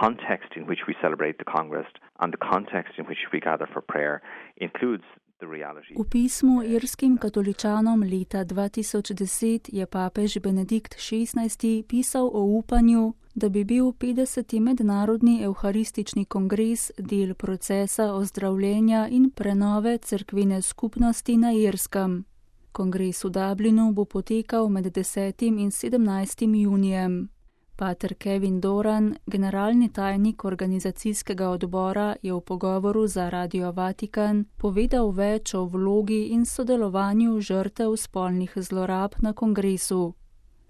context in which we celebrate the Congress and the context in which we gather for prayer includes the reality. V pismu irskim katoličanom leta 2010 je papež Benedikt XVI pisal o upanju, da bi bil 50. mednarodni evharistični kongres del procesa ozdravljenja in prenove cerkvene skupnosti na Irskem. Kongres v Dublinu bo potekal med 10. in 17. junijem. Pater Kevin Doran, generalni tajnik organizacijskega odbora, je v pogovoru za Radio Vatikan povedal več o vlogi in sodelovanju žrtev spolnih zlorab na kongresu.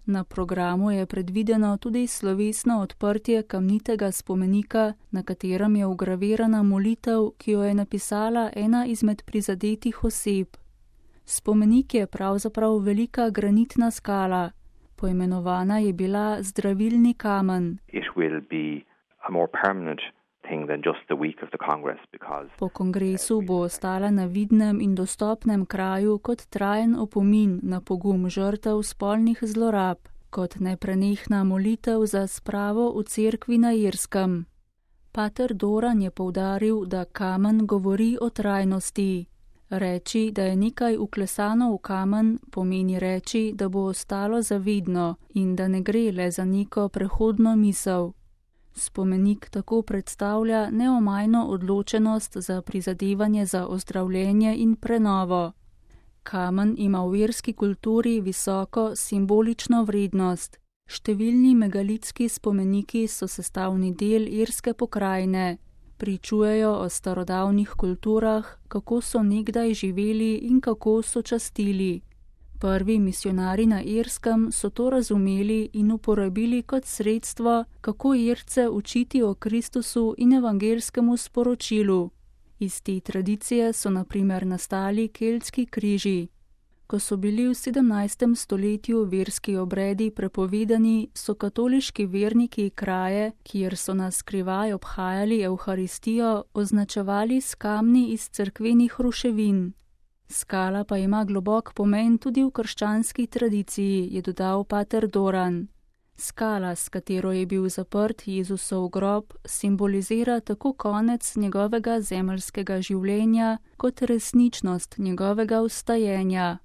Na programu je predvideno tudi slovesno odprtje kamnitega spomenika, na katerem je vgravirana molitev, ki jo je napisala ena izmed prizadetih oseb. Spomenik je pravzaprav velika granitna skala. Poimenovana je bila zdravilni kamen. Po kongresu bo ostala na vidnem in dostopnem kraju kot trajen opomin na pogum žrtev spolnih zlorab, kot neprenehna molitev za spravo v cerkvi na Irskem. Pater Doran je poudaril, da kamen govori o trajnosti. Reči, da je nekaj vklesano v kamen, pomeni reči, da bo ostalo zavidno in da ne gre le za neko prehodno misel. Spomenik tako predstavlja neomajno odločenost za prizadevanje za ozdravljenje in prenovo. Kamen ima v irski kulturi visoko simbolično vrednost. Številni megalitski spomeniki so sestavni del irske pokrajine. Pričujejo o starodavnih kulturah, kako so nekdaj živeli in kako so častili. Prvi misionari na Irskem so to razumeli in uporabili kot sredstvo, kako Irce učiti o Kristusu in evangelskemu sporočilu. Iz te tradicije so na primer nastali keltski križi. Ko so bili v 17. stoletju verski obredi prepovedani, so katoliški verniki kraje, kjer so na skrivaj obhajali evharistijo, označevali s kamni iz cerkvenih ruševin. Skala pa ima globok pomen tudi v krščanski tradiciji, je dodal pater Doran. Skala, s katero je bil zaprt Jezusov grob, simbolizira tako konec njegovega zemeljskega življenja kot resničnost njegovega vstajenja.